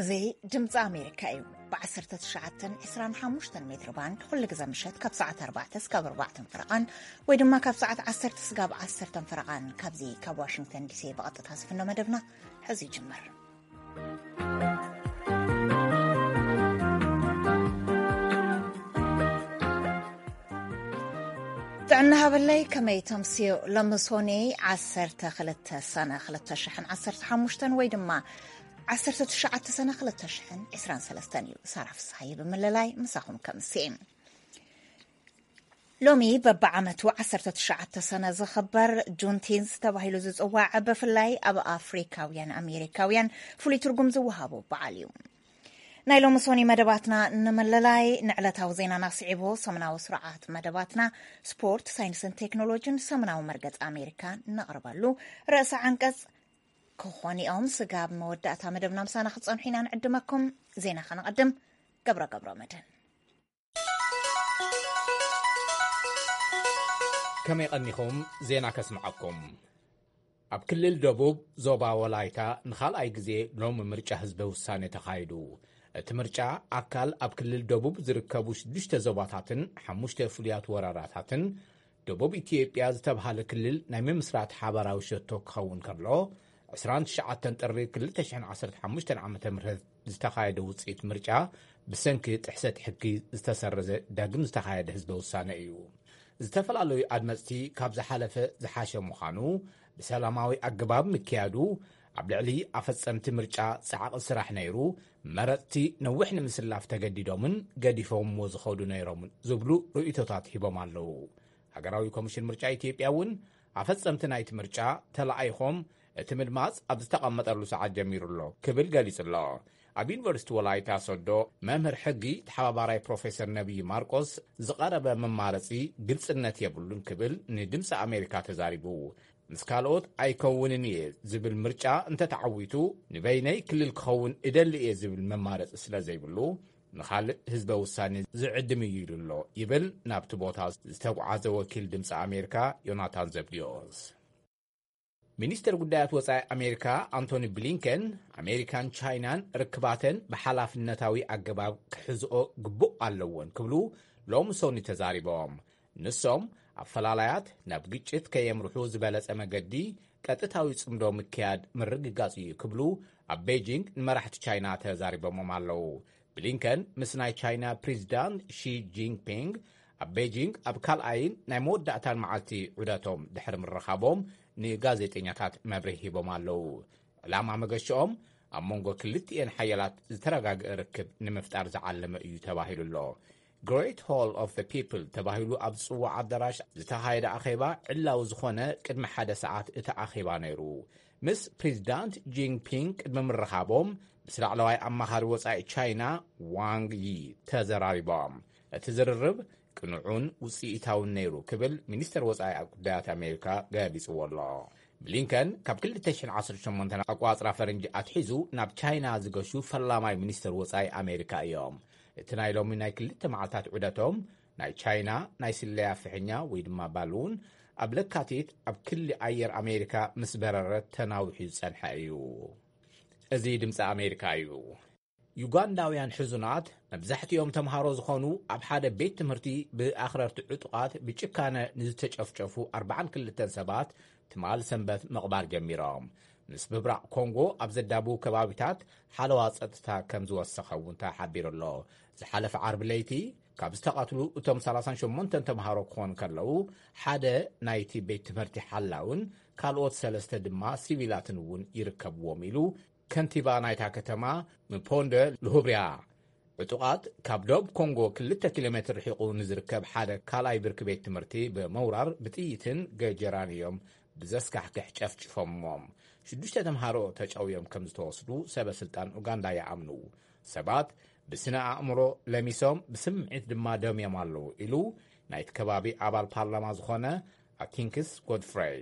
እዚ ድምፂ ኣሜሪካ እዩ። ብ19 25 ሜትር ባንድ ኩሉ ግዜ ምሸት ካብ ሰዓት ኣርባዕተ እስካብ ኣርባዕተን ፈረቓን ወይ ድማ ካብ ሰዓት ዓሰርተ እስካብ ዓሰርተን ፈረቓን ካብዚ ካብ ዋሽንግተን ዲሲ ብቐጥታ ዝፍኖ መደብና ሕዚ ይጅምር። ጥዕና ሃበለይ፣ ከመይ ተምስዮ? ሎሚ ሶኒ ዓሰርተ ክልተ ሰነ ክልተ ሽሕን ዓሰርተ ሓሙሽተን ወይ ድማ ዓሰርተ ትሽዓተ ሰነ ክልተ ሽሕን ዕስራን ሰለስተን እዩ። ሳራ ፍስሓየ ብምልላይ ምሳኹም ከምሲ። ሎሚ በብዓመቱ ዓሰርተ ትሽዓተ ሰነ ዝኽበር ጁንቲንስ ተባሂሉ ዝጽዋዕ፣ ብፍላይ ኣብ ኣፍሪካውያን ኣሜሪካውያን ፍሉይ ትርጉም ዝወሃቦ በዓል እዩ። ናይ ሎሚ ሶኒ መደባትና ንምልላይ፣ ንዕለታዊ ዜናና ስዒቡ ሰሙናዊ ስርዓት መደባትና፣ ስፖርት፣ ሳይንስን ቴክኖሎጂን ሰሙናዊ መርገጽ ኣሜሪካ ነቕርበሉ ርእሰ ዓንቀጽ ክኾኑ እዮም። ስጋብ መወዳእታ መደብና ምሳና ክትጸንሑ ኢና ንዕድመኩም። ዜና ከነቐድም። ገብረ ገብረ መድህን። ከመይ ቀኒኹም? ዜና ከስምዓኩም። ኣብ ክልል ደቡብ ዞባ ወላይታ ንኻልኣይ ግዜ ሎሚ ምርጫ ህዝበ ውሳኔ ተኻይዱ። እቲ ምርጫ ኣካል ኣብ ክልል ደቡብ ዝርከቡ ሽዱሽተ ዞባታትን ሓሙሽተ ፍሉያት ወረዳታትን ደቡብ ኢትዮጵያ ዝተብሃለ ክልል ናይ ምምስራት ሓባራዊ ሸቶ ክኸውን ከሎ፣ ዕስራን ትሽዓተን ጥሪ ክልተ ሽሕን ዓሰርተ ሓሙሽተን ዓመተ ምህረት ዝተኻየደ ውጽኢት ምርጫ ብሰንኪ ጥሕሰት ሕጊ ዝተሰረዘ ዳግም ዝተኻየደ ህዝበ ውሳነ እዩ። ዝተፈላለዩ ኣድመጽቲ ካብ ዝሓለፈ ዝሓሸ ምዃኑ፣ ብሰላማዊ ኣገባብ ምክያዱ፣ ኣብ ልዕሊ ኣፈጸምቲ ምርጫ ጻዕቒ ስራሕ ነይሩ፣ መረጽቲ ነዊሕ ንምስላፍ ተገዲዶምን ገዲፎምዎ ዝኸዱ ነይሮምን ዝብሉ ርእይቶታት ሂቦም ኣለዉ። ሃገራዊ ኮሚሽን ምርጫ ኢትዮጵያ እውን ኣፈጸምቲ ናይቲ ምርጫ ተለኣይኾም እቲ ምድማጽ ኣብ ዝተቐመጠሉ ሰዓት ጀሚሩ ኣሎ ክብል ገሊጹ ኣሎ። ኣብ ዩኒቨርሲቲ ወላይታ ሶዶ መምህር ሕጊ ተሓባባራይ ፕሮፌሰር ነቢይ ማርቆስ ዝቐረበ መማረጺ ግልጽነት የብሉን ክብል ንድምፂ ኣሜሪካ ተዛሪቡ። ምስ ካልኦት ኣይከውንን እየ ዝብል ምርጫ እንተተዓዊቱ ንበይነይ ክልል ክኸውን እደሊ እየ ዝብል መማረጺ ስለ ዘይብሉ ንኻልእ ህዝበ ውሳኔ ዝዕድም እዩ ኢሉ ኣሎ ይብል ናብቲ ቦታ ዝተጓዓዘ ወኪል ድምፂ ኣሜሪካ ዮናታን ዘብዲዮስ። ሚኒስትር ጉዳያት ወጻኢ ኣሜሪካ ኣንቶኒ ብሊንከን ኣሜሪካን ቻይናን ርክባተን ብሓላፍነታዊ ኣገባብ ክሕዝኦ ግቡእ ኣለዎን ክብሉ ሎሚ ሶኒ ተዛሪቦም። ንሶም ኣፈላላያት ናብ ግጭት ከየምርሑ ዝበለጸ መገዲ ቀጥታዊ ጽምዶ ምክያድ ምርግጋጽ እዩ ክብሉ ኣብ ቤጂንግ ንመራሕቲ ቻይና ተዛሪቦሞም ኣለዉ። ብሊንከን ምስ ናይ ቻይና ፕሬዚዳንት ሺ ጂንፒንግ ኣብ ቤጂንግ ኣብ ካልኣይን ናይ መወዳእታን መዓልቲ ዑደቶም ድሕሪ ምርኻቦም ንጋዜጠኛታት መብርሂ ሂቦም ኣለዉ። ዕላማ መገሽኦም ኣብ መንጎ ክልቲኤን ሓያላት ዝተረጋግአ ርክብ ንምፍጣር ዝዓለመ እዩ ተባሂሉ ኣሎ። ግሬት ሆል ኦፍ ዘ ፒፕል ተባሂሉ ኣብ ዝጽዋዕ ኣዳራሽ ዝተኻየደ ኣኼባ ዕላዊ ዝኾነ ቅድሚ ሓደ ሰዓት እቲ ኣኼባ ነይሩ። ምስ ፕሬዚዳንት ጂንፒንግ ቅድሚ ምርኻቦም ምስ ላዕለዋይ ኣማኻሪ ወጻኢ ቻይና ዋንግ ዪ ተዘራሪቦም። እቲ ዝርርብ ቅኑዑን ውጽኢታውን ነይሩ ክብል ሚኒስተር ወጻኢ ጉዳያት ኣሜሪካ ገሊጽዎ ኣሎ። ብሊንከን ካብ ክልተ ሽሕን ዓሰርተ ሸሞንተን ኣቋጽራ ፈረንጂ ኣትሒዙ ናብ ቻይና ዝገሹ ፈላማይ ሚኒስተር ወጻኢ ኣሜሪካ እዮም። እቲ ናይ ሎሚ ናይ ክልተ መዓልታት ዑደቶም ናይ ቻይና ናይ ስለያ ፍሕኛ ወይ ድማ ባሉን ኣብ ለካቲት ኣብ ክሊ ኣየር ኣሜሪካ ምስ በረረት ተናዊሑ ዝጸንሐ እዩ። እዚ ድምፂ ኣሜሪካ እዩ። ዩጋንዳውያን ሕዙናት መብዛሕትኦም ተምሃሮ ዝኾኑ ኣብ ሓደ ቤት ትምህርቲ ብኣኽረርቲ ዕጡቓት ብጭካነ ንዝተጨፍጨፉ ኣርባዓን ክልተን ሰባት ትማል ሰንበት ምቕባር ጀሚሮም። ምስ ምብራቕ ኮንጎ ኣብ ዘዳብው ከባቢታት ሓለዋ ጸጥታ ከም ዝወሰኸ እውን ተሓቢሩ ኣሎ። ዝሓለፈ ዓርቢ ለይቲ ካብ ዝተቐትሉ እቶም ሰላሳን ሸሞንተን ተምሃሮ ክኾኑ ከለዉ ሓደ ናይቲ ቤት ትምህርቲ ሓላውን ካልኦት ሰለስተ ድማ ሲቪላትን እውን ይርከብዎም ኢሉ ከንቲባ ናይታ ከተማ ምፖንደ ልሁብርያ። ዕጡቓት ካብ ዶብ ኮንጎ ክልተ ኪሎ ሜትር ርሒቑ ንዝርከብ ሓደ ካልኣይ ብርኪ ቤት ትምህርቲ ብምውራር ብጥይትን ገጀራን እዮም ብዘስካሕክሕ ጨፍጭፎሞም። ሽዱሽተ ተምሃሮ ተጨውዮም ከም ዝተወስዱ ሰበ ስልጣን ኡጋንዳ ይኣምኑ። ሰባት ብስነ ኣእምሮ ለሚሶም ብስምዒት ድማ ደምዮም ኣለዉ ኢሉ ናይቲ ከባቢ ኣባል ፓርላማ ዝኾነ ኣቲንክስ ጎድፍረይ።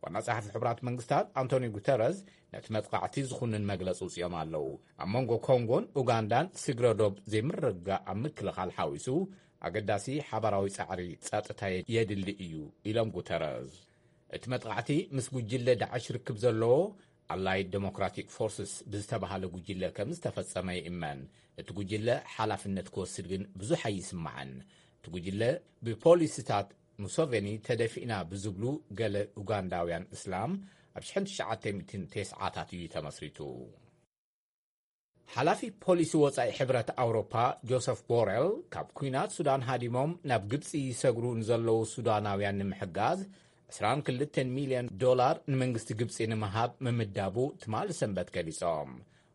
ዋና ጸሓፊ ሕቡራት መንግስታት ኣንቶኒ ጉተረዝ ነቲ መጥቃዕቲ ዝኹንን መግለጺ ውጽኦም ኣለዉ። ኣብ መንጎ ኮንጎን ኡጋንዳን ስግረ ዶብ ዘይምርግጋእ ኣብ ምክልኻል ሓዊሱ ኣገዳሲ ሓባራዊ ጻዕሪ ጸጥታ የድሊ እዩ ኢሎም ጉተረዝ። እቲ መጥቃዕቲ ምስ ጉጅለ ዳዕሽ ርክብ ዘለዎ ኣላይድ ዴሞክራቲክ ፎርስስ ብዝተባሃለ ጉጅለ ከም ዝተፈጸመ ይእመን። እቲ ጉጅለ ሓላፍነት ክወስድ ግን ብዙሕ ኣይስማዕን። እቲ ጉጅለ ብፖሊሲታት ሙሶቬኒ ተደፊእና ብዝብሉ ገለ ኡጋንዳውያን እስላም ኣብ ሽሕን ትሽዓተ ሚእትን ተስዓታት እዩ ተመስሪቱ። ሓላፊ ፖሊሲ ወጻኢ ሕብረት ኣውሮፓ ጆሰፍ ቦረል፣ ካብ ኲናት ሱዳን ሃዲሞም ናብ ግብጺ ይሰግሩ ንዘለዉ ሱዳናውያን ንምሕጋዝ ዕስራን ክልተን ሚልዮን ዶላር ንመንግስቲ ግብጺ ንምሃብ ምምዳቡ ትማሊ ሰንበት ገሊጾም።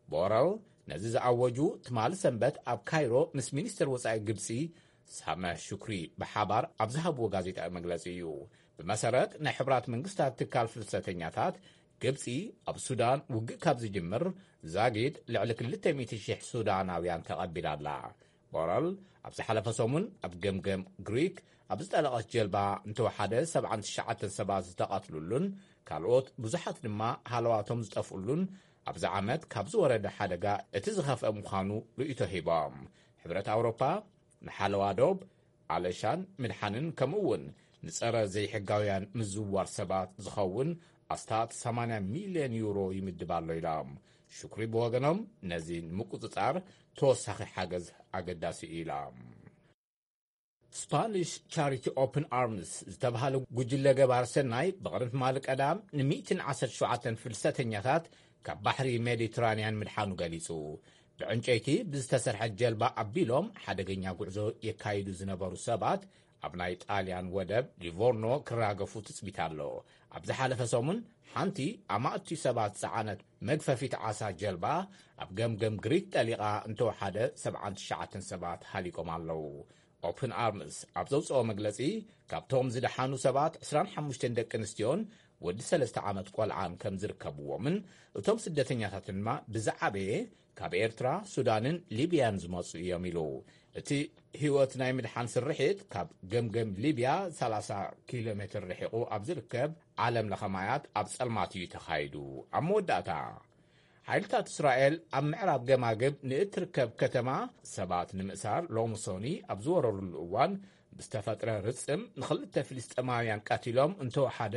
ቦረል ነዚ ዝኣወጁ ትማሊ ሰንበት ኣብ ካይሮ ምስ ሚኒስተር ወጻኢ ግብጺ ሳመህ ሹክሪ ብሓባር ኣብ ዝሃብዎ ጋዜጣዊ መግለጺ እዩ። ብመሰረት ናይ ሕቡራት መንግስታት ትካል ፍልሰተኛታት፣ ግብጺ ኣብ ሱዳን ውግእ ካብ ዝጅምር ዛጊድ ልዕሊ ክልተ ሚእቲ ሽሕ ሱዳናውያን ተቐቢላ ኣላ። ቦረል ኣብ ዝሓለፈ ሰሙን ኣብ ገምገም ግሪክ ኣብ ዝጠለቐት ጀልባ እንተወሓደ ሰብዓን ትሽዓተን ሰባት ዝተቐትሉሉን ካልኦት ብዙሓት ድማ ሃለዋቶም ዝጠፍኡሉን ኣብዚ ዓመት ካብ ዝወረደ ሓደጋ እቲ ዝኸፍአ ምዃኑ ርእይቶ ሂቦም። ሕብረት ኣውሮፓ ንሓለዋ ዶብ፣ ኣለሻን ምድሓንን ከምኡ እውን ንጸረ ዘይሕጋውያን ምዝውዋር ሰባት ዝኸውን ኣስታት ሰማንያ ሚልዮን ዩሮ ይምድብ ኣሎ ኢሎም። ሽኩሪ ብወገኖም ነዚ ንምቁጽጻር ተወሳኺ ሓገዝ ኣገዳሲ እዩ ኢሎም። ስፓኒሽ ቻሪቲ ኦፕን ኣርምስ ዝተባሃለ ጉጅለ ገባር ሰናይ ብቕድሚ ትማሊ ቀዳም ን ሚእትን ዓሰርተ ሸውዓተን ፍልሰተኛታት ካብ ባሕሪ ሜዲትራንያን ምድሓኑ ገሊጹ። ብዕንጨይቲ ብዝተሰርሐት ጀልባ ኣቢሎም ሓደገኛ ጉዕዞ የካይዱ ዝነበሩ ሰባት ኣብ ናይ ጣልያን ወደብ ሊቮርኖ ክራገፉ ትጽቢት ኣሎ። ኣብ ዝሓለፈ ሰሙን ሓንቲ ኣማእቲ ሰባት ዝጸዓነት መግፈፊት ዓሳ ጀልባ ኣብ ገምገም ግሪክ ጠሊቓ እንተወሓደ ሰብዓን ትሽዓተን ሰባት ሃሊቆም ኣለዉ። ኦፕን ኣርምስ ኣብ ዘውፅኦ መግለፂ፣ ካብቶም ዝደሓኑ ሰባት ዕስራን ሓሙሽተን ደቂ ኣንስትዮን ወዲ ሰለስተ ዓመት ቆልዓን ከም ዝርከብዎምን እቶም ስደተኛታት ድማ ብዝዓበየ ካብ ኤርትራ፣ ሱዳንን ሊብያን ዝመፁ እዮም ኢሉ። እቲ ህይወት ናይ ምድሓን ስርሒት ካብ ገምገም ሊብያ ሰላሳ ኪሎ ሜትር ርሒቑ ኣብ ዝርከብ ዓለም ለኸ ማያት ኣብ ጸልማት እዩ ተኻይዱ። ኣብ መወዳእታ፣ ሓይልታት እስራኤል ኣብ ምዕራብ ገማግም ንእትርከብ ከተማ ሰባት ንምእሳር ሎምሶኒ ኣብ ዝወረሩሉ እዋን ብዝተፈጥረ ርጽም ንኽልተ ፍልስጤማውያን ቀቲሎም እንተወሓደ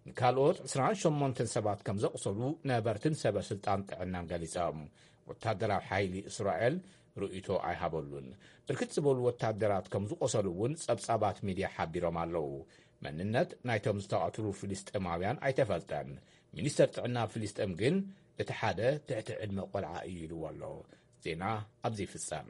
ንካልኦት ዕስራን ሸሞንተን ሰባት ከም ዘቑሰሉ ነበርትን ሰበ ስልጣን ጥዕናን ገሊጾም። ወታደራዊ ሓይሊ እስራኤል ርእይቶ ኣይሃበሉን። ብርክት ዝበሉ ወታደራት ከም ዝቆሰሉ እውን ጸብጻባት ሚድያ ሓቢሮም ኣለዉ። መንነት ናይቶም ዝተቐትሉ ፍልስጤማውያን ኣይተፈልጠን። ሚኒስተር ጥዕና ፍልስጤም ግን እቲ ሓደ ትሕቲ ዕድመ ቆልዓ እዩ ኢልዎ ኣሎ። ዜና ኣብዚ ይፍጸም።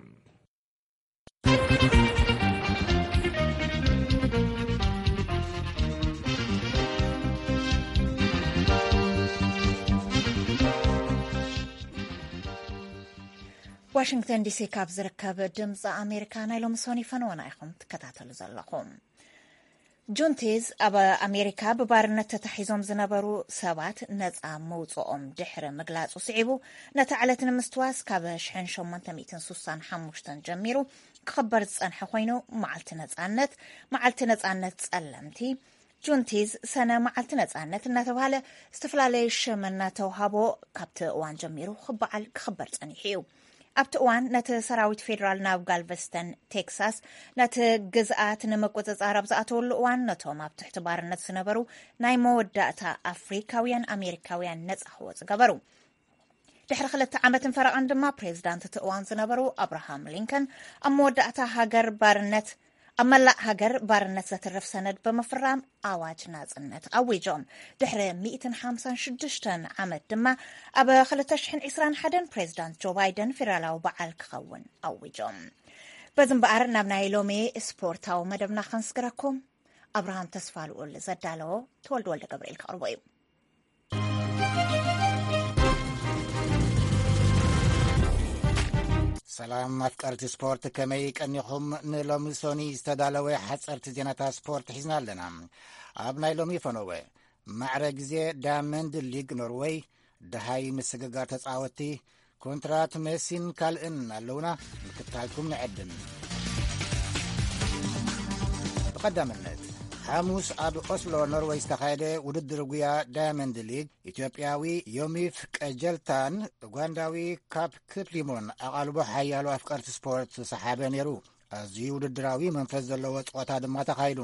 ዋሽንግተን ዲሲ ካብ ዝርከብ ድምፂ ኣሜሪካ ናይ ሎሚ ሶኒ ፈነወና ኢኹም ትከታተሉ ዘለኹም። ጁንቲዝ ኣብ ኣሜሪካ ብባርነት ተታሒዞም ዝነበሩ ሰባት ነፃ ምውፅኦም ድሕሪ ምግላፁ ስዒቡ፣ ነታ ዕለት ንምስትዋስ ካብ ሽሕን ሸሞንተ ሚእትን ሱሳን ሓሙሽተን ጀሚሩ ክኽበር ዝፀንሐ ኮይኑ፣ መዓልቲ ነፃነት፣ መዓልቲ ነፃነት ፀለምቲ፣ ጁንቲዝ ሰነ መዓልቲ ነፃነት እናተባህለ ዝተፈላለየ ሽም እናተውሃቦ ካብቲ እዋን ጀሚሩ ክበዓል ክኽበር ፀኒሑ እዩ። ኣብቲ እዋን ነቲ ሰራዊት ፌዴራል ናብ ጋልቨስተን ቴክሳስ ነቲ ግዝኣት ንምቁፅፃር ኣብ ዝኣተወሉ እዋን ነቶም ኣብ ትሕቲ ባርነት ዝነበሩ ናይ መወዳእታ ኣፍሪካውያን ኣሜሪካውያን ነፃ ክወፁ ገበሩ። ድሕሪ ክልተ ዓመትን ፈረቓን ድማ ፕሬዚዳንት እቲ እዋን ዝነበሩ ኣብርሃም ሊንከን ኣብ መወዳእታ ሃገር ባርነት ኣብ መላእ ሃገር ባርነት ዘትርፍ ሰነድ ብምፍራም ኣዋጅ ናጽነት ኣዊጆም። ድሕሪ ሚእትን ሓምሳን ሽዱሽተን ዓመት ድማ ኣብ ክልተ ሽሕን ዕስራን ሓደን ፕሬዚዳንት ጆ ባይደን ፌደራላዊ በዓል ክኸውን ኣዊጆም። በዚ እምበኣር ናብ ናይ ሎሚ ስፖርታዊ መደብና ከንስግረኩም። ኣብርሃም ተስፋ ልኡል ዘዳለዎ ተወልደ ወልደ ገብርኤል ከቕርቦ እዩ። ሰላም ኣፍቀርቲ ስፖርት፣ ከመይ ቀኒኹም? ንሎሚ ሶኒ ዝተዳለወ ሓፀርቲ ዜናታት ስፖርት ሒዝና ኣለና። ኣብ ናይ ሎሚ ፈነወ ማዕረ ግዜ ዳያመንድ ሊግ ኖርወይ ደሃይ ምስግጋር ተፃወትቲ፣ ኮንትራት ሜሲን ካልእን ኣለውና፣ ምክታልኩም ንዕድም። ብቐዳምነት፣ ሓሙስ ኣብ ኦስሎ ኖርወይ ዝተኻየደ ውድድር ጉያ ዳያመንድ ሊግ፣ ኢትዮጵያዊ ዮሚፍ ቀጀልታን ኡጋንዳዊ ካፕ ክፕሊሞን ኣቓልቦ ሓያሎ ኣፍቀርቲ ስፖርት ዝሰሓበ ነይሩ። ኣዝዩ ውድድራዊ መንፈስ ዘለዎ ፀዋታ ድማ ተኻይዱ።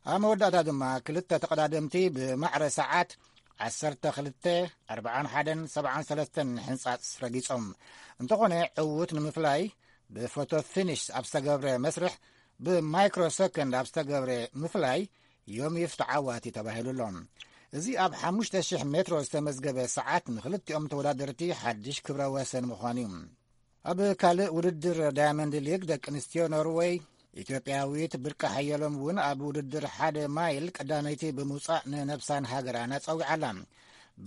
ኣብ መወዳእታ ድማ ክልተ ተቐዳደምቲ ብማዕረ ሰዓት ዓሰርተ ክልተ፣ ኣርብዓን ሓደን፣ ሰብዓን ሰለስተን ሕንጻጽ ረጊጾም። እንተኾነ ዕዉት ንምፍላይ ብፎቶ ፊኒሽ ኣብ ዝተገብረ መስርሕ ብማይክሮ ሰከንድ ኣብ ዝተገብረ ምፍላይ ዮሚፍ ተዓዋቲ ተባሂሉ ኣሎ። እዚ ኣብ ሓሙሽተ ሽሕ ሜትሮ ዝተመዝገበ ሰዓት ንክልቲኦም ተወዳደርቲ ሓድሽ ክብረ ወሰን ምዃኑ እዩ። ኣብ ካልእ ውድድር ዳያመንድ ሊግ ደቂ ኣንስትዮ ኖርወይ፣ ኢትዮጵያዊት ብርቂ ሓየሎም እውን ኣብ ውድድር ሓደ ማይል ቀዳመይቲ ብምውጻእ ንነብሳን ሃገራን ኣጸዊዓላ።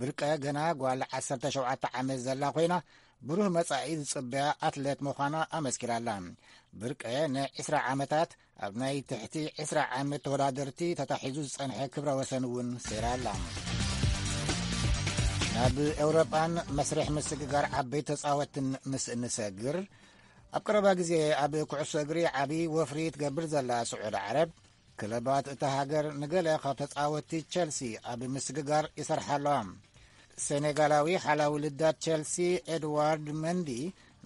ብርቀ ገና ጓል ዓሰርተ ሸውዓተ ዓመት ዘላ ኮይና፣ ብሩህ መጻኢ ዝጽበያ ኣትሌት ምዃና ኣመስኪራላ። ብርቀ ንዒስራ ዓመታት ኣብ ናይ ትሕቲ ዒስራ ዓመት ተወዳደርቲ ተታሒዙ ዝጸንሐ ክብረ ወሰን እውን ሰይራላ። ናብ ኤውሮጳን መስርሕ ምስግጋር ዓበይቲ ተጻወትን ምስ እንሰግር፣ ኣብ ቀረባ ግዜ ኣብ ኩዕሶ እግሪ ዓቢ ወፍሪ ትገብር ዘላ ስዑዲ ዓረብ፣ ክለባት እታ ሃገር ንገለ ካብ ተጻወትቲ ቸልሲ ኣብ ምስግጋር ይሰርሓ ኣለዋ። ሴኔጋላዊ ሓላዊ ልዳት ቸልሲ ኤድዋርድ መንዲ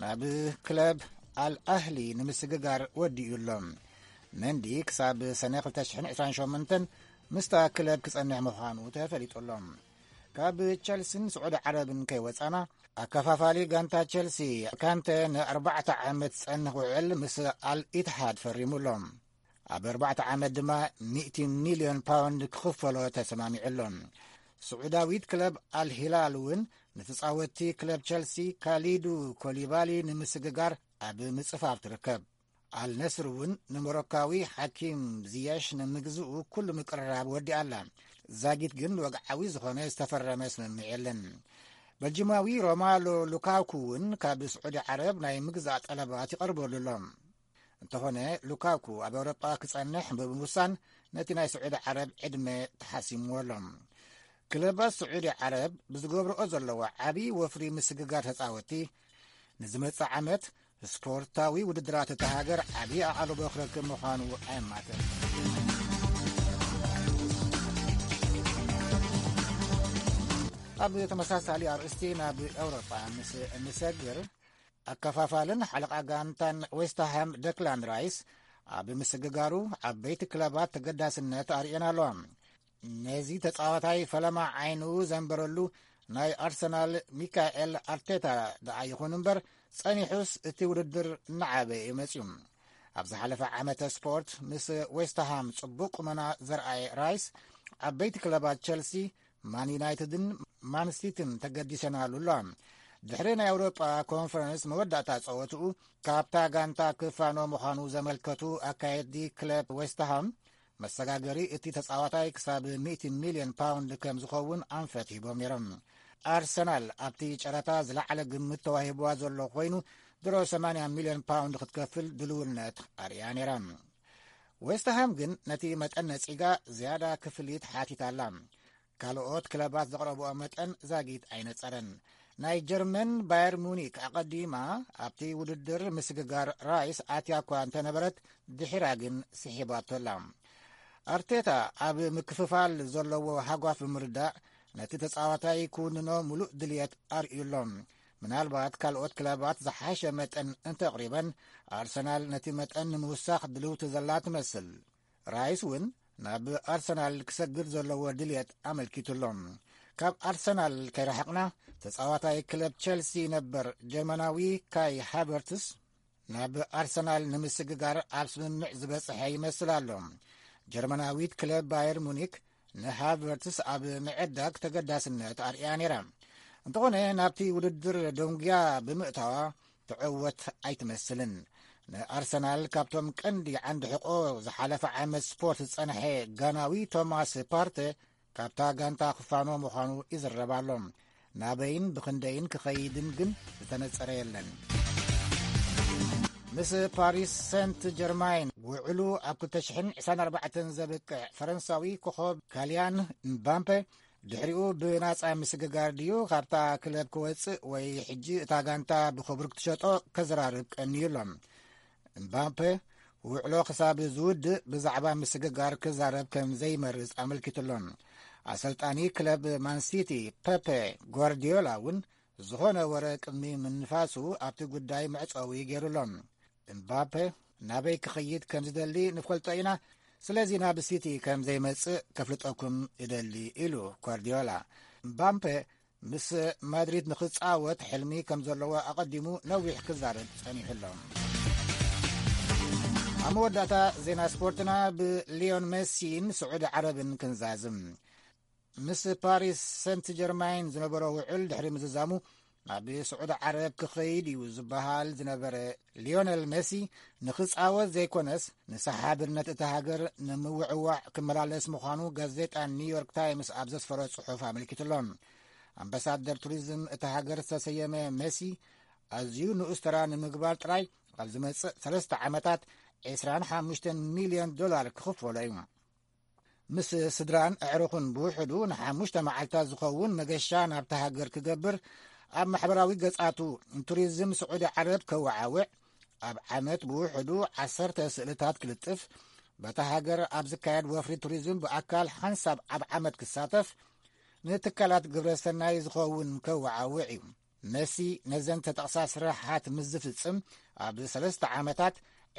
ናብ ክለብ ኣል ኣህሊ ንምስግጋር ወዲኡ ኣሎ። መንዲ ክሳብ ሰነ ክልተ ሽሕን ዕስራን ሸሞንተን ምስታ ክለብ ክጸንሕ ምዃኑ ተፈሊጡ ኣሎ። ካብ ቸልሲን ስዑዲ ዓረብን ከይወጻና፣ ኣከፋፋሊ ጋንታ ቸልሲ ካንተ ንኣርባዕተ ዓመት ዝጸንሕ ውዕል ምስ ኣል ኢትሃድ ፈሪሙ ኣሎ። ኣብ ኣርባዕተ ዓመት ድማ ሚእቲ ሚልዮን ፓውንድ ክኽፈሎ ተሰማሚዑ ኣሎ። ስዑዳዊት ክለብ ኣልሂላል እውን ንተጻወትቲ ክለብ ቸልሲ ካሊዱ ኮሊባሊ ንምስግጋር ኣብ ምጽፋፍ ትርከብ። ኣልነስር እውን ንሞሮካዊ ሓኪም ዝያሽ ንምግዝኡ ኩሉ ምቅርራብ ወዲኣላ። ዛጊት ግን ወግዓዊ ዝኾነ ዝተፈረመ ስምምዕ የለን። በልጅማዊ ሮማሎ ሉካኩ እውን ካብ ስዑዲ ዓረብ ናይ ምግዛእ ጠለባት ይቐርበሉ ኣሎ። እንተኾነ ሉካኩ ኣብ ኤውሮጳ ክጸንሕ ብምውሳን ነቲ ናይ ስዑዲ ዓረብ ዕድመ ተሓሲምዎ ኣሎ። ክለባት ስዑዲ ዓረብ ብዝገብርኦ ዘለዋ ዓቢ ወፍሪ ምስግጋር ተጻወቲ ንዝመጽእ ዓመት ስፖርታዊ ውድድራት እታ ሃገር ዓቢ ኣቓልቦ ክረክብ ምዃኑ ኣየማትን። ኣብ ተመሳሳሊ ኣርእስቲ ናብ ኤውሮጳ ምስ እንሰግር፣ ኣከፋፋልን ሓለቓ ጋንታን ዌስትሃም ደክላን ራይስ ኣብ ምስግጋሩ ዓበይቲ ክለባት ተገዳስነት ኣርእየን ኣለዋ። ነዚ ተጻዋታይ ፈለማ ዓይኑ ዘንበረሉ ናይ ኣርሰናል ሚካኤል ኣርቴታ ደኣ ይኹን እምበር፣ ጸኒሑስ እቲ ውድድር እናዓበየ እዩ መጺኡ። ኣብ ዝሓለፈ ዓመተ ስፖርት ምስ ዌስትሃም ጽቡቕ ቁመና ዘርኣየ ራይስ፣ ዓበይቲ ክለባት ቸልሲ፣ ማን ዩናይትድን ማን ሲቲን ተገዲሰናሉ ኣሎ። ድሕሪ ናይ ኣውሮጳ ኮንፈረንስ መወዳእታ ጸወትኡ፣ ካብታ ጋንታ ክፋኖ ምዃኑ ዘመልከቱ ኣካየዲ ክለብ ዌስትሃም፣ መሰጋገሪ እቲ ተጻዋታይ ክሳብ ሚእቲ ሚልዮን ፓውንድ ከም ዝኸውን ኣንፈት ሂቦም ነይሮም። ኣርሰናል ኣብቲ ጨረታ ዝለዓለ ግምት ተዋሂብዋ ዘሎ ኮይኑ፣ ድሮ ሰማንያ ሚልዮን ፓውንድ ክትከፍል ድልውነት ኣርእያ ነይራ። ዌስትሃም ግን ነቲ መጠን ነጺጋ ዝያዳ ክፍሊት ሓቲታ ኣላ። ካልኦት ክለባት ዘቕረብኦ መጠን ዛጊት ኣይነጸረን። ናይ ጀርመን ባየር ሙኒክ ኣቐዲማ ኣብቲ ውድድር ምስግጋር ራይስ ኣትያ እኳ እንተነበረት፣ ድሒራ ግን ስሒባቶ ኣላ። ኣርቴታ ኣብ ምክፍፋል ዘለዎ ሃጓፍ ብምርዳእ፣ ነቲ ተጻዋታይ ክውንኖ ምሉእ ድልየት ኣርእዩ ኣሎ። ምናልባት ካልኦት ክለባት ዝሓሸ መጠን እንተቕሪበን፣ ኣርሰናል ነቲ መጠን ንምውሳኽ ድልውቲ ዘላ ትመስል። ራይስ እውን ናብ ኣርሰናል ክሰግር ዘለዎ ድልየት ኣመልኪቱ ኣሎ። ካብ ኣርሰናል ከይረሓቕና፣ ተጻዋታይ ክለብ ቸልሲ ነበር ጀርመናዊ ካይ ሃቨርትስ ናብ ኣርሰናል ንምስግጋር ኣብ ስምምዕ ዝበጽሐ ይመስል ኣሎ። ጀርመናዊት ክለብ ባየር ሙኒክ ንሃቨርትስ ኣብ ምዕዳግ ተገዳስነት ኣርእያ ነይራ። እንተኾነ፣ ናብቲ ውድድር ደንጉያ ብምእታዋ ትዕወት ኣይትመስልን። ንኣርሰናል ካብቶም ቀንዲ ዓንዲ ሕቆ ዝሓለፈ ዓመት ስፖርት ዝጸንሐ ጋናዊ ቶማስ ፓርተ ካብታ ጋንታ ክፋኖ ምዃኑ ይዝረብ ኣሎ። ናበይን ብኽንደይን ክኸይድን ግን ዝተነጸረ የለን። ምስ ፓሪስ ሰንት ጀርማይን ውዕሉ ኣብ ክልተ ሽሕን ዕስራን ኣርባዕተን ዘብቅዕ ፈረንሳዊ ኮኾብ ካሊያን ምባምፔ፣ ድሕሪኡ ብናጻ ምስግጋር ድዩ ካብታ ክለብ ክወጽእ ወይ ሕጂ እታ ጋንታ ብኽብሪ ክትሸጦ ከዘራርብ ቀንዩ ኣሎ። እምባፔ ውዕሎ ክሳብ ዝውድእ ብዛዕባ ምስግጋር ክዛረብ ከም ዘይመርጽ ኣመልኪቱ ኣሎ። ኣሰልጣኒ ክለብ ማንሲቲ ፐፔ ጓርዲዮላ እውን ዝኾነ ወረ ቅድሚ ምንፋሱ ኣብቲ ጉዳይ መዕጸዊ ገይሩ ኣሎ። እምባፔ ናበይ ክኸይድ ከም ዝደሊ ንፈልጦ ኢና፣ ስለዚ ናብ ሲቲ ከም ዘይመጽእ ከፍልጠኩም እደሊ፣ ኢሉ ጓርዲዮላ። ምባምፔ ምስ ማድሪድ ንኽጻወት ሕልሚ ከም ዘለዎ ኣቐዲሙ ነዊሕ ክዛረብ ጸኒሑ ኣሎ። ኣብ መወዳእታ ዜና ስፖርትና ብሊዮን ሜሲን ስዑዲ ዓረብን ክንዛዝም። ምስ ፓሪስ ሰንት ጀርማይን ዝነበሮ ውዕል ድሕሪ ምዝዛሙ ናብ ስዑዲ ዓረብ ክኸይድ እዩ ዝበሃል ዝነበረ ሊዮነል ሜሲ ንኽጻወት ዘይኮነስ ንሰሓብነት እታ ሃገር ንምውዕዋዕ ክመላለስ ምዃኑ ጋዜጣ ኒውዮርክ ታይምስ ኣብ ዘስፈሮ ጽሑፍ ኣመልኪቱ ኣሎ። ኣምባሳደር ቱሪዝም እታ ሃገር ዝተሰየመ ሜሲ ኣዝዩ ንኡስ ተራ ንምግባር ጥራይ ኣብ ዝመጽእ ሰለስተ ዓመታት ዕስራን ሓሙሽተን ሚልዮን ዶላር ክኽፈሎ እዩ። ምስ ስድራን ኣዕሩኽን ብውሕዱ ንሓሙሽተ መዓልታት ዝኸውን መገሻ ናብታ ሃገር ክገብር ኣብ ማሕበራዊ ገጻቱ ቱሪዝም ስዑዲ ዓረብ ከወዓውዕ፣ ኣብ ዓመት ብውሕዱ ዓሰርተ ስእልታት ክልጥፍ፣ በታ ሃገር ኣብ ዝካየድ ወፍሪ ቱሪዝም ብኣካል ሓንሳብ ኣብ ዓመት ክሳተፍ፣ ንትካላት ግብረ ሰናይ ዝኸውን ከወዓውዕ እዩ። መሲ ነዘን ተጠቕሳ ስራሓት ምስ ዝፍጽም ኣብ ሰለስተ ዓመታት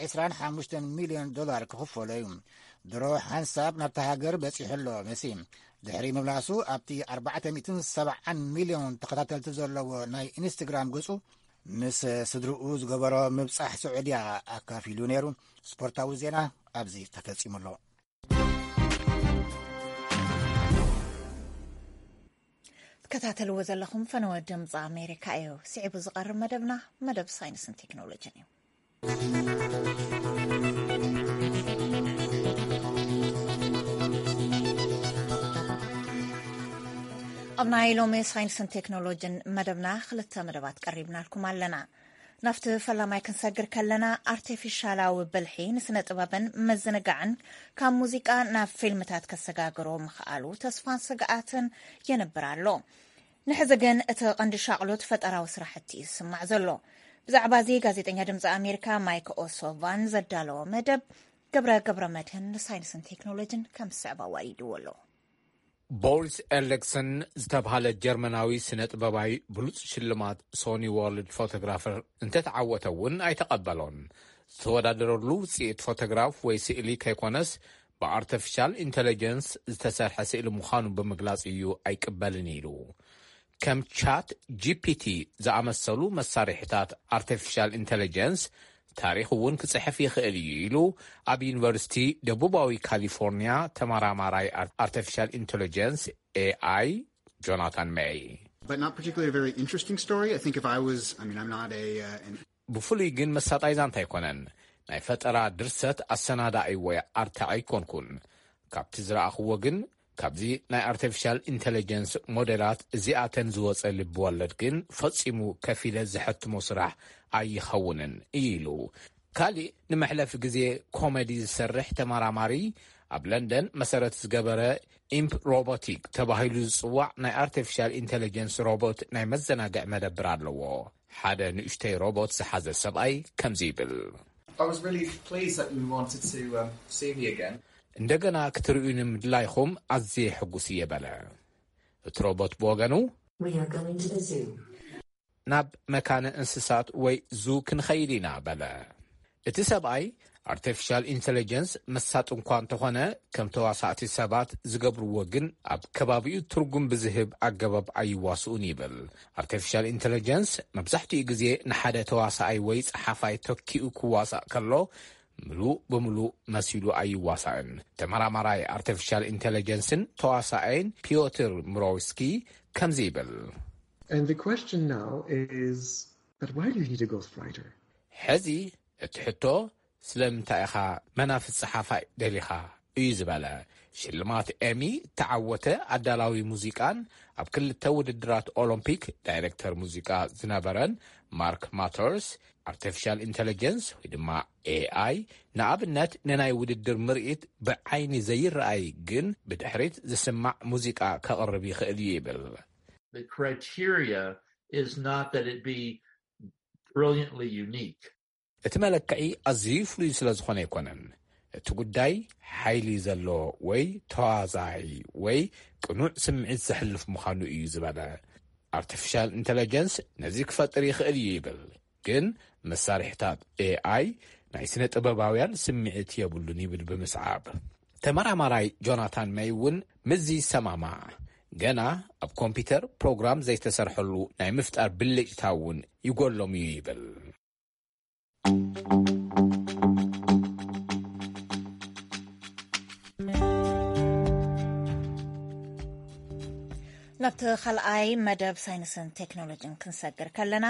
ዕስራን ሓሙሽተን ሚልዮን ዶላር ክኽፈሎ እዩ። ድሮ ሓንሳብ ናብታ ሃገር በጺሑ ኣሎ። መሲ ድሕሪ ምምላሱ ኣብቲ ኣርባዕተ ሚእትን ሰብዓን ሚልዮን ተኸታተልቲ ዘለዎ ናይ ኢንስታግራም ገጹ ምስ ስድርኡ ዝገበሮ ምብጻሕ ስዑድያ ኣካፊሉ ነይሩ። ስፖርታዊ ዜና ኣብዚ ተፈጺሙ ኣሎ። ትከታተልዎ ዘለኹም ፈነወ ድምፂ ኣሜሪካ እዩ። ስዒቡ ዝቐርብ መደብና መደብ ሳይንስን ቴክኖሎጂን እዩ። ኣብ ናይ ሎሚ ሳይንስን ቴክኖሎጂን መደብና ክልተ መደባት ቀሪብናልኩም ኣለና። ናብቲ ፈላማይ ክንሰግር ከለና፣ ኣርቲፊሻላዊ ብልሒ ንስነ ጥበብን ምዝንጋዕን ካብ ሙዚቃ ናብ ፊልምታት ከሰጋግሮ ምኽኣሉ ተስፋን ስግኣትን የንብር ኣሎ። ንሕዚ ግን እቲ ቀንዲ ሻቕሎት ፈጠራዊ ስራሕቲ እዩ ዝስማዕ ዘሎ። ብዛዕባ እዚ ጋዜጠኛ ድምፂ ኣሜሪካ ማይክ ኦሶቫን ዘዳለዎ መደብ ገብረ ገብረ መድህን ንሳይንስን ቴክኖሎጂን ከም ዝስዕብ ኣዋዲድዎ ኣሎ። ቦሪስ ኤርሊክሰን ዝተብሃለ ጀርመናዊ ስነ ጥበባዊ ብሉጽ ሽልማት ሶኒ ወርልድ ፎቶግራፈር እንተተዓወተ እውን ኣይተቐበሎን። ዝተወዳደረሉ ውጽኢት ፎቶግራፍ ወይ ስእሊ ከይኮነስ ብኣርቲፊሻል ኢንተለጀንስ ዝተሰርሐ ስእሊ ምዃኑ ብምግላጽ እዩ ኣይቅበልን ኢሉ። ከም ቻት ጂፒቲ ዝኣመሰሉ መሳርሒታት ኣርቲፊሻል ኢንተለጀንስ ታሪኽ እውን ክጽሕፍ ይኽእል እዩ ኢሉ ኣብ ዩኒቨርሲቲ ደቡባዊ ካሊፎርኒያ ተመራማራይ ኣርቲፊሻል ኢንተለጀንስ ኤኣይ ጆናታን ሜይ። But not particularly a very interesting story. I think if I was, I mean, I'm not a, uh, an ብፍሉይ ግን መሳጣይ ዛንታ ኣይኮነን። ናይ ፈጠራ ድርሰት ኣሰናዳኢ ወይ ኣርታዒ ኣይኮንኩን። ካብቲ ዝረኣኽዎ ግን ካብዚ ናይ ኣርቲፊሻል ኢንተለጀንስ ሞዴላት እዚኣተን ዝወፀ ልቢ ወለድ ግን ፈፂሙ ከፊለ ዝሐትሞ ስራሕ ኣይኸውንን እዩ ኢሉ። ካሊእ ንመሕለፊ ግዜ ኮሜዲ ዝሰርሕ ተመራማሪ ኣብ ለንደን መሰረት ዝገበረ ኢምፕ ሮቦቲክ ተባሂሉ ዝፅዋዕ ናይ ኣርቲፊሻል ኢንተለጀንስ ሮቦት ናይ መዘናግዕ መደብር ኣለዎ። ሓደ ንእሽተይ ሮቦት ዝሓዘ ሰብኣይ ከምዚ ይብል። I was really pleased that you wanted to um, see me again. እንደገና ክትርእዩኒ ምድላይኹም ኣዝየ ሕጉስ እየ በለ። እቲ ሮቦት ብወገኑ We are going to the zoo. ናብ መካነ እንስሳት ወይ ዙ ክንኸይድ ኢና በለ። እቲ ሰብኣይ ኣርቲፊሻል ኢንተለጀንስ መሳጥ እንኳ እንተኾነ ከም ተዋሳእቲ ሰባት ዝገብርዎ ግን ኣብ ከባቢኡ ትርጉም ብዝህብ ኣገባብ ኣይዋስኡን ይብል። ኣርቲፊሻል ኢንተለጀንስ መብዛሕትኡ ግዜ ንሓደ ተዋሳኣይ ወይ ጸሓፋይ ተኪኡ ክዋሳእ ከሎ ምሉእ ብምሉእ መሲሉ ኣይዋሳእን። ተመራማራይ ኣርቲፊሻል ኢንተለጀንስን ተዋሳኣይን ፒዮትር ምሮውስኪ ከምዚ ይብል። And the question now is, but why do you need a ghostwriter? ሕዚ እቲ ሕቶ ስለምንታይ ኢኻ መናፍስ ጸሓፋይ ደሊኻ እዩ ዝበለ። ሽልማት ኤሚ እተዓወተ ኣዳላዊ ሙዚቃን ኣብ ክልተ ውድድራት ኦሎምፒክ ዳይሬክተር ሙዚቃ ዝነበረን ማርክ ማተርስ ኣርቲፊሻል ኢንተለጀንስ ወይ ድማ ኤኣይ ንኣብነት ንናይ ውድድር ምርኢት ብዓይኒ ዘይረኣይ ግን ብድሕሪት ዝስማዕ ሙዚቃ ከቕርብ ይኽእል እዩ ይብል። The criteria is not that it be brilliantly unique. እቲ መለክዒ ኣዝዩ ፍሉይ ስለ ዝኾነ ኣይኮነን። እቲ ጉዳይ ሓይሊ ዘለዎ ወይ ተዋዛይ ወይ ቅኑዕ ስምዒት ዘሕልፍ ምዃኑ እዩ ዝበለ። ኣርቲፊሻል ኢንተለጀንስ ነዚ ክፈጥር ይኽእል እዩ ይብል፣ ግን መሳርሕታት ኤኣይ ናይ ስነ ጥበባውያን ስምዒት የብሉን ይብል ብምስዓብ። ተመራማራይ ጆናታን መይ እውን ምስዚ ይሰማማዕ። ገና ኣብ ኮምፒውተር ፕሮግራም ዘይተሰርሐሉ ናይ ምፍጣር ብልጭታ እውን ይጎሎም እዩ ይብል። ናብቲ ካልኣይ መደብ ሳይንስን ቴክኖሎጂን ክንሰግር ከለና፣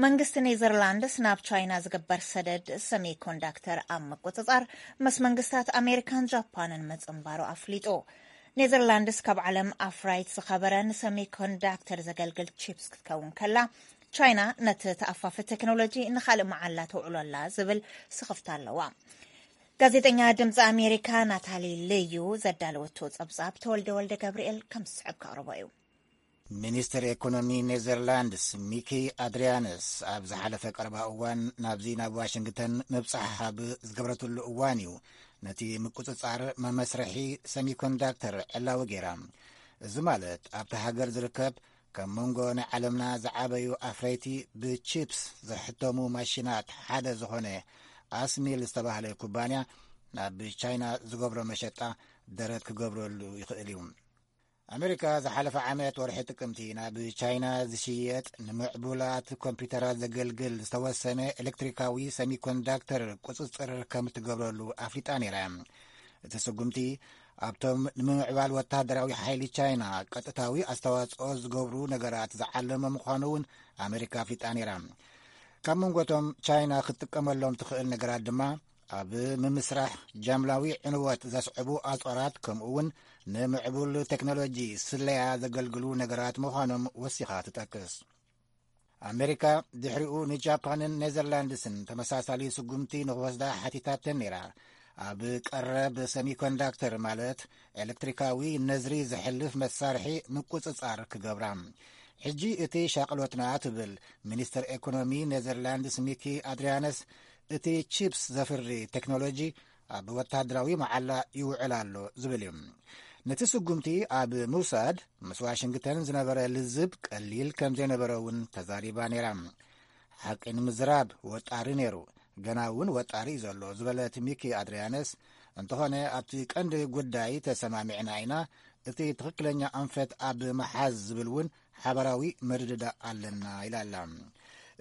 መንግስቲ ኔዘርላንድስ ናብ ቻይና ዝግበር ሰደድ ሰሚኮንዳክተር ኣብ ምቁጽጻር ምስ መንግስታት ኣሜሪካን ጃፓንን ምጽንባሩ ኣፍሊጡ። ኔዘርላንድስ ካብ ዓለም ኣፍራይት ዝኸበረ ንሰሚኮንዳክተር ዘገልግል ቺፕስ ክትከውን ከላ፣ ቻይና ነቲ ተኣፋፊ ቴክኖሎጂ ንኻልእ መዓላ ተውዕሎ ኣላ ዝብል ስኽፍታ ኣለዋ። ጋዜጠኛ ድምፂ ኣሜሪካ ናታሊ ልዩ ዘዳለወቶ ጸብጻብ ተወልደ ወልደ ገብርኤል ከም ዝስዕብ ከቕርቦ እዩ። ሚኒስትር ኤኮኖሚ ኔዘርላንድስ ሚኪ ኣድሪያንስ ኣብ ዝሓለፈ ቀረባ እዋን ናብዚ ናብ ዋሽንግተን ምብጻሕ ኣብ ዝገበረትሉ እዋን እዩ ነቲ ምቁጽጻር መመስርሒ ሰሚኮንዳክተር ዕላዊ ገይራ። እዚ ማለት ኣብቲ ሃገር ዝርከብ ካብ መንጎ ናይ ዓለምና ዝዓበዩ ኣፍረይቲ ብቺፕስ ዝሕተሙ ማሽናት ሓደ ዝኾነ ኣስሚል ዝተባህለ ኩባንያ ናብ ቻይና ዝገብሮ መሸጣ ደረት ክገብረሉ ይኽእል እዩ። ኣሜሪካ ዝሓለፈ ዓመት ወርሒ ጥቅምቲ ናብ ቻይና ዝሽየጥ ንምዕቡላት ኮምፒውተራት ዘገልግል ዝተወሰነ ኤሌክትሪካዊ ሰሚኮንዳክተር ቁጽጽር ከም ትገብረሉ ኣፍሊጣ ነይራ። እቲ ስጉምቲ ኣብቶም ንምምዕባል ወታደራዊ ሓይሊ ቻይና ቀጥታዊ ኣስተዋጽኦ ዝገብሩ ነገራት ዝዓለመ ምዃኑ እውን ኣሜሪካ ኣፍሊጣ ነይራ። ካብ መንጎቶም ቻይና ክትጥቀመሎም ትኽእል ነገራት ድማ ኣብ ምምስራሕ ጃምላዊ ዕንወት ዘስዕቡ ኣጽዋራት፣ ከምኡ እውን ንምዕቡል ቴክኖሎጂ ስለያ ዘገልግሉ ነገራት ምዃኖም ወሲኻ ትጠቅስ። ኣሜሪካ ድሕሪኡ ንጃፓንን ኔዘርላንድስን ተመሳሳሊ ስጉምቲ ንኽወስዳ ሓቲታተን ነይራ። ኣብ ቀረብ ሰሚኮንዳክተር፣ ማለት ኤሌክትሪካዊ ነዝሪ ዘሕልፍ መሳርሒ ምቁጽጻር ክገብራ። ሕጂ እቲ ሻቕሎትና፣ ትብል ሚኒስተር ኤኮኖሚ ኔዘርላንድስ ሚኪ ኣድሪያነስ፣ እቲ ቺፕስ ዘፍሪ ቴክኖሎጂ ኣብ ወታደራዊ መዓላ ይውዕል ኣሎ ዝብል እዩ። ነቲ ስጉምቲ ኣብ ምውሳድ ምስ ዋሽንግተን ዝነበረ ልዝብ ቀሊል ከም ዘይነበረ እውን ተዛሪባ ነይራ። ሓቂ ንምዝራብ ወጣሪ ነይሩ፣ ገና እውን ወጣሪ እዩ ዘሎ ዝበለት ሚኪ ኣድሪያነስ፣ እንተኾነ ኣብቲ ቀንዲ ጉዳይ ተሰማሚዕና ኢና፣ እቲ ትኽክለኛ ኣንፈት ኣብ ምሓዝ ዝብል እውን ሓባራዊ ምርድዳእ ኣለና ኢላ ኣላ።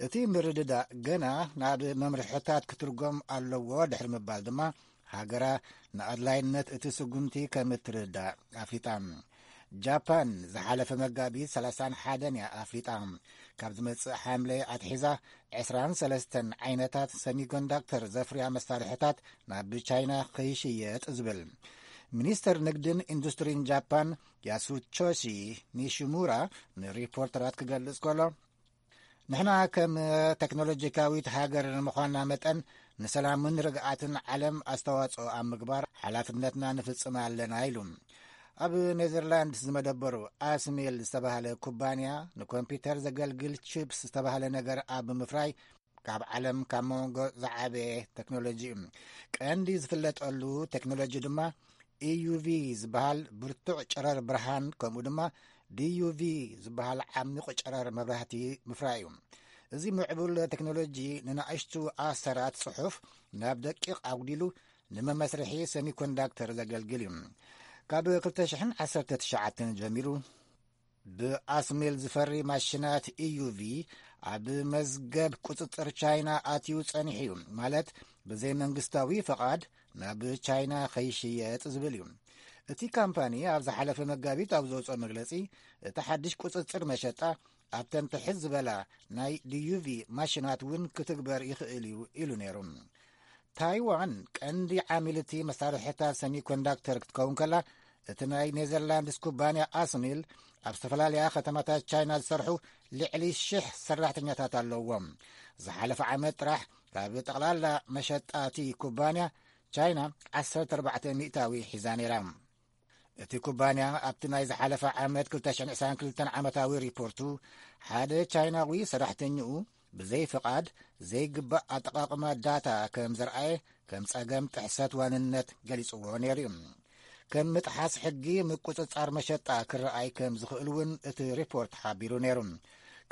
እቲ ምርድዳእ ገና ናብ መምርሕታት ክትርጎም ኣለዎ ድሕሪ ምባል ድማ፣ ሃገራ ንኣድላይነት እቲ ስጉምቲ ከም እትርዳእ ኣፍሊጣ። ጃፓን ዝሓለፈ መጋቢት ሰላሳን ሓደን እያ ኣፍሊጣ። ካብ ዝመጽእ ሓምለ ኣትሒዛ ዕስራን ሰለስተን ዓይነታት ሰሚኮንዳክተር ዘፍርያ መሳርሕታት ናብ ቻይና ከይሽየጥ ዝብል ሚኒስተር ንግድን ኢንዱስትሪን ጃፓን ያሱቶሺ ኒሺሙራ ንሪፖርተራት ክገልጽ ከሎ፣ ንሕና ከም ቴክኖሎጂካዊት ሃገር ምዃንና መጠን፣ ንሰላምን ርግኣትን ዓለም ኣስተዋጽኦ ኣብ ምግባር ሓላፍነትና ንፍጽም ኣለና ኢሉ። ኣብ ኔዘርላንድስ ዝመደበሩ ኣስሜል ዝተባህለ ኩባንያ፣ ንኮምፒውተር ዘገልግል ቺፕስ ዝተባህለ ነገር ኣብ ምፍራይ ካብ ዓለም ካብ መንጎ ዝዓበየ ቴክኖሎጂ እዩ። ቀንዲ ዝፍለጠሉ ቴክኖሎጂ ድማ ኢዩቪ ዝበሃል ብርቱዕ ጨረር ብርሃን፣ ከምኡ ድማ ዲዩቪ ዝበሃል ዓሚቕ ጨረር መብራህቲ ምፍራይ እዩ። እዚ ምዕቡል ቴክኖሎጂ ንናእሽቱ ኣሰራት ጽሑፍ ናብ ደቂቕ ኣጉዲሉ ንመመስርሒ ሰሚኮንዳክተር ዘገልግል እዩ። ካብ ክልተ ሽሕን ዓሰርተ ትሽዓተን ጀሚሩ ብኣስሜል ዝፈሪ ማሽናት ኢዩቪ ኣብ መዝገብ ቁጽጽር ቻይና ኣትዩ ጸኒሑ እዩ፣ ማለት ብዘይ መንግስታዊ ፈቓድ ናብ ቻይና ከይሽየጥ ዝብል እዩ። እቲ ካምፓኒ ኣብ ዝሓለፈ መጋቢት ኣብ ዘውፅኦ መግለጺ፣ እቲ ሓድሽ ቁጽጽር መሸጣ ኣብተን ትሕት ዝበላ ናይ ዲዩቪ ማሽናት እውን ክትግበር ይኽእል እዩ ኢሉ ነይሩ። ታይዋን ቀንዲ ዓሚል እቲ መሳርሕታት ሰሚኮንዳክተር ክትከውን ከላ፣ እቲ ናይ ኔዘርላንድስ ኩባንያ ኣስሚል ኣብ ዝተፈላለያ ከተማታት ቻይና ዝሰርሑ ልዕሊ ሽሕ ሰራሕተኛታት ኣለዎም። ዝሓለፈ ዓመት ጥራሕ ካብ ጠቕላላ መሸጣ እቲ ኩባንያ ቻይና ዓሰርተ ኣርባዕተ ሚእታዊ ሒዛ ነይራ። እቲ ኩባንያ ኣብቲ ናይ ዝሓለፈ ዓመት ክልተ ሽሕን ዕስራን ክልተን ዓመታዊ ሪፖርቱ፣ ሓደ ቻይናዊ ሰራሕተኛኡ ብዘይ ፍቓድ ዘይግባእ ኣጠቓቕማ ዳታ ከም ዘርኣየ ከም ጸገም ጥሕሰት ዋንነት ገሊጽዎ ነይሩ እዩ። ከም ምጥሓስ ሕጊ ምቁጽጻር መሸጣ ክረኣይ ከም ዝኽእል እውን እቲ ሪፖርት ሓቢሩ ነይሩ።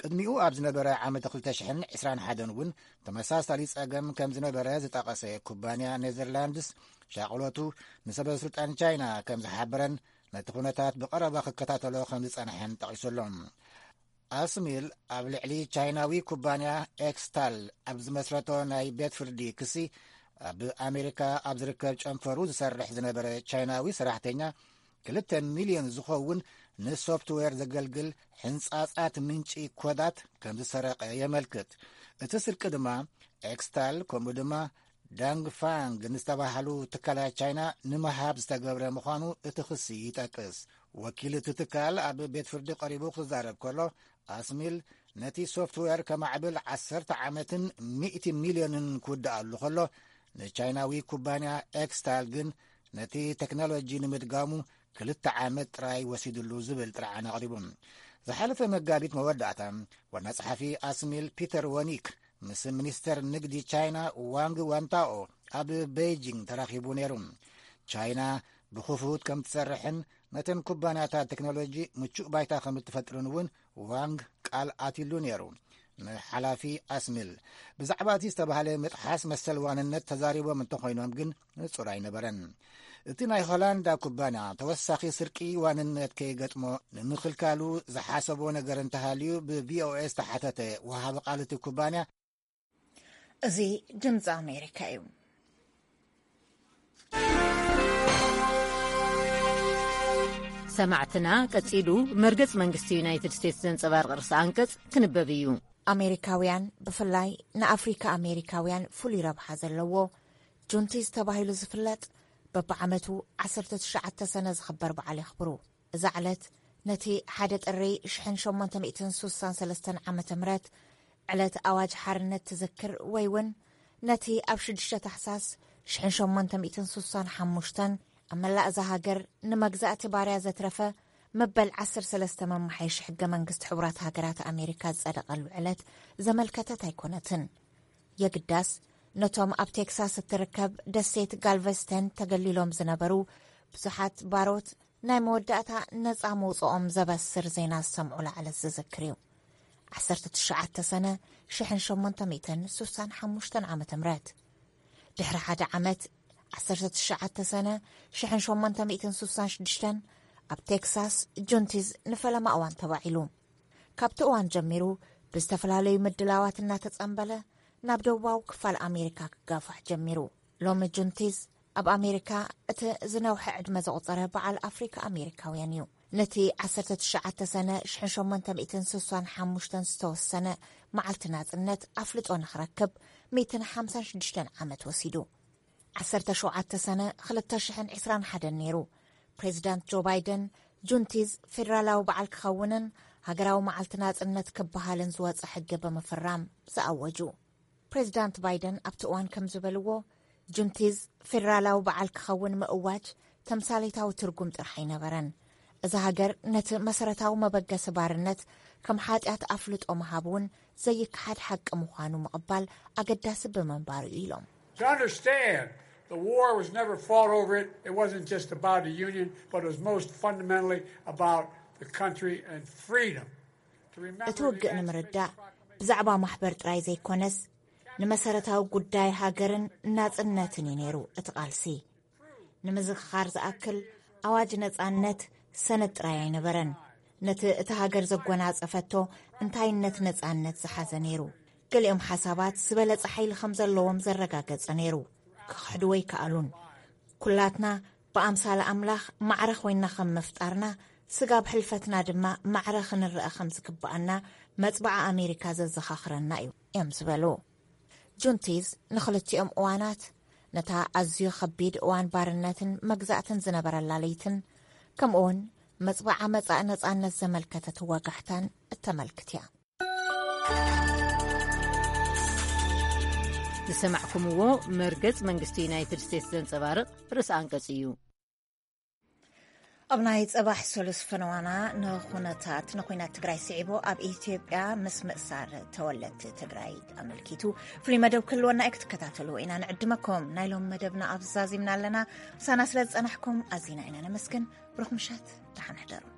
ቅድሚኡ ኣብ ዝነበረ ዓመት ክልተ ሽሕን ዕስራን ሓደን እውን ተመሳሳሊ ጸገም ከም ዝነበረ ዝጠቐሰ ኩባንያ ኔዘርላንድስ፣ ሻቕሎቱ ንሰበ ስልጣን ቻይና ከም ዝሓበረን ነቲ ኩነታት ብቐረባ ክከታተሎ ከም ዝጸንሐን ጠቒሱ ኣሎ። ኣስሚል ኣብ ልዕሊ ቻይናዊ ኩባንያ ኤክስታል ኣብ ዝመስረቶ ናይ ቤት ፍርዲ ክሲ፣ ኣብ ኣሜሪካ ኣብ ዝርከብ ጨንፈሩ ዝሰርሕ ዝነበረ ቻይናዊ ሰራሕተኛ ክልተ ሚልዮን ዝኸውን ንሶፍትዌር ዘገልግል ሕንጻጻት ምንጪ ኮዳት ከም ዝሰረቐ የመልክት። እቲ ስርቂ ድማ ኤክስታል ከምኡ ድማ ዳንግ ፋንግ ንዝተባህሉ ትካላት ቻይና ንምሃብ ዝተገብረ ምዃኑ እቲ ክሲ ይጠቅስ። ወኪል እቲ ትካል ኣብ ቤት ፍርዲ ቀሪቡ ክዛረብ ከሎ፣ ኣስሚል ነቲ ሶፍትዌር ከማዕብል ዓሰርተ ዓመትን ሚእቲ ሚልዮንን ክውድኣሉ ከሎ፣ ንቻይናዊ ኩባንያ ኤክስታል ግን ነቲ ቴክኖሎጂ ንምድጋሙ ክልተ ዓመት ጥራይ ወሲድሉ ዝብል ጥርዓን ኣቕሪቡ። ዝሓለፈ መጋቢት መወዳእታ፣ ዋና ጸሓፊ ኣስሚል ፒተር ወኒክ ምስ ሚኒስተር ንግዲ ቻይና ዋንግ ዋንታኦ ኣብ ቤይጂንግ ተራኺቡ ነይሩ። ቻይና ብኽፉት ከም ትሰርሕን ነተን ኩባንያታት ቴክኖሎጂ ምቹእ ባይታ ከም እትፈጥርን እውን ዋንግ ቃል ኣትሉ ነይሩ። ንሓላፊ ኣስሚል ብዛዕባ እቲ ዝተባህለ ምጥሓስ መሰል ዋንነት ተዛሪቦም እንተኾይኖም ግን ንጹር ኣይነበረን። እቲ ናይ ሆላንዳ ኩባንያ ተወሳኺ ስርቂ ዋንነት ከይገጥሞ ንምኽልካሉ ዝሓሰቦ ነገር እንተሃልዩ ብቪኦኤ ዝተሓተተ ወሃቢ ቃል እቲ ኩባንያ፣ እዚ ድምፂ ኣሜሪካ እዩ። ሰማዕትና፣ ቀጺሉ መርገጽ መንግስቲ ዩናይትድ ስቴትስ ዘንጸባርቕ ርእሰ ኣንቀጽ ክንበብ እዩ። ኣሜሪካውያን፣ ብፍላይ ንኣፍሪካ ኣሜሪካውያን ፍሉይ ረብሓ ዘለዎ ጁንቲዝ ተባሂሉ ዝፍለጥ፣ በብዓመቱ ዓሰርተ ትሽዓተ ሰነ ዝኽበር በዓል የኽብሩ። እዛ ዕለት ነቲ ሓደ ጥሪ ሽሕን ሸሞንተ ሚእትን ሱሳን ሰለስተን ዓመተ ምህረት ዕለት ኣዋጅ ሓርነት ትዝክር፣ ወይ እውን ነቲ ኣብ ሽዱሽተ ታሕሳስ ሽሕን ሸሞንተ ሚእትን ሱሳን ሓሙሽተን ኣብ መላእ እዛ ሃገር ንመግዛእቲ ባርያ ዘትረፈ መበል ዓሰርተ ሰለስተ መማሓየሺ ሕገ መንግስቲ ሕቡራት ሃገራት ኣሜሪካ ዝጸደቐሉ ዕለት ዘመልከተት ኣይኮነትን። የግዳስ፣ ነቶም ኣብ ቴክሳስ እትርከብ ደሴት ጋልቨስተን ተገሊሎም ዝነበሩ ብዙሓት ባሮት ናይ መወዳእታ ነጻ መውጽኦም ዘበስር ዜና ዝሰምዑ ላዕለት ዝዝክር እዩ። ዓሰርተ ትሽዓተ ሰነ ሽሕን ሸሞንተ ሚእትን ሱሳን ሓሙሽተን ዓመተ ምህረት። ድሕሪ ሓደ ዓመት፣ ዓሰርተ ትሽዓተ ሰነ ሽሕን ሸሞንተ ሚእትን ሱሳን ሽዱሽተን ኣብ ቴክሳስ ጁንቲዝ ንፈለማ እዋን ተባዒሉ። ካብቲ እዋን ጀሚሩ ብዝተፈላለዩ ምድላዋት እናተጸንበለ ናብ ደቡባዊ ክፋል ኣሜሪካ ክጋፋሕ ጀሚሩ። ሎሚ ጁንቲዝ ኣብ ኣሜሪካ እቲ ዝነውሐ ዕድመ ዘቑጸረ በዓል ኣፍሪካ ኣሜሪካውያን እዩ። ነቲ ዓሰርተ ትሽዓተ ሰነ ሽሕን ሸሞንተ ሚእትን ሱሳን ሓሙሽተን ዝተወሰነ መዓልቲ ናጽነት ኣፍልጦ ንኽረክብ ሚእትን ሓምሳን ሽዱሽተን ዓመት ወሲዱ። ዓሰርተ ሸውዓተ ሰነ ክልተ ሽሕን ዕስራን ሓደን ነይሩ። ፕሬዚዳንት ጆ ባይደን ጁንቲዝ ፌዴራላዊ በዓል ክኸውንን ሃገራዊ መዓልቲ ናጽነት ክበሃልን ዝወጸ ሕጊ ብምፍራም ዝኣወጁ። ፕሬዚዳንት ባይደን ኣብቲ እዋን ከም ዝበልዎ፣ ጁንቲዝ ፌዴራላዊ በዓል ክኸውን ምእዋጅ ተምሳሌታዊ ትርጉም ጥራሕ ኣይነበረን። እዛ ሃገር ነቲ መሰረታዊ መበገሲ ባርነት ከም ሓጢኣት ኣፍልጦ ምሃብ እውን ዘይከሓድ ሓቂ ምዃኑ ምቕባል ኣገዳሲ ብምንባሩ እዩ ኢሎም። To understand, the war was never fought over it. It wasn't just about a union, but it was most fundamentally about the country and freedom. እቲ ውግእ ንምርዳእ ብዛዕባ ማሕበር ጥራይ ዘይኮነስ፣ ንመሰረታዊ ጉዳይ ሃገርን ናጽነትን እዩ ነይሩ እቲ ቃልሲ። ንምዝኽኻር ዝኣክል፣ ኣዋጅ ነጻነት ሰነድ ጥራይ ኣይነበረን። ነቲ እታ ሃገር ዘጎናጸፈቶ እንታይነት ነጻነት ዝሓዘ ነይሩ። ገሊኦም ሓሳባት ዝበለጸ ሓይሊ ከም ዘለዎም ዘረጋገጸ ነይሩ። ክኽሕድዎ ኣይከኣሉን። ኩላትና ብኣምሳል ኣምላኽ ማዕረ ኮይንና ከም ምፍጣርና፣ ስጋብ ሕልፈትና ድማ ማዕረ ክንረኣ ከም ዝግብኣና መጽብዓ ኣሜሪካ ዘዘኻኽረና እዩ እዮም ዝበሉ። ጁንቲዝ ንኽልቲኦም እዋናት፣ ነታ ኣዝዩ ኸቢድ እዋን ባርነትን መግዛእትን ዝነበረላ ለይትን፣ ከምኡውን መጽብዓ መጻኢ ነጻነት ዘመልከተት ወጋሕታን እተመልክት እያ። ዝሰማዕኩምዎ መርገጽ መንግስቲ ዩናይትድ ስቴትስ ዘንጸባርቕ ርእሰ ኣንቀጽ እዩ። ኣብ ናይ ጽባሕ ሰሉስ ፈነዋና ንኹነታት፣ ንኹናት ትግራይ ስዒቡ ኣብ ኢትዮጵያ ምስ ምእሳር ተወለድቲ ትግራይ ኣመልኪቱ ፍሉይ መደብ ክህልወና እዩ፣ ክትከታተልዎ ኢና ንዕድመኩም። ናይ ሎም መደብና ኣብ ዛዚምና ኣለና። ምሳና ስለ ዝጸናሕኩም ኣዚና ኢና ነመስግን። ብሩኽ ምሸት፣ ደሓን ሕደሩ።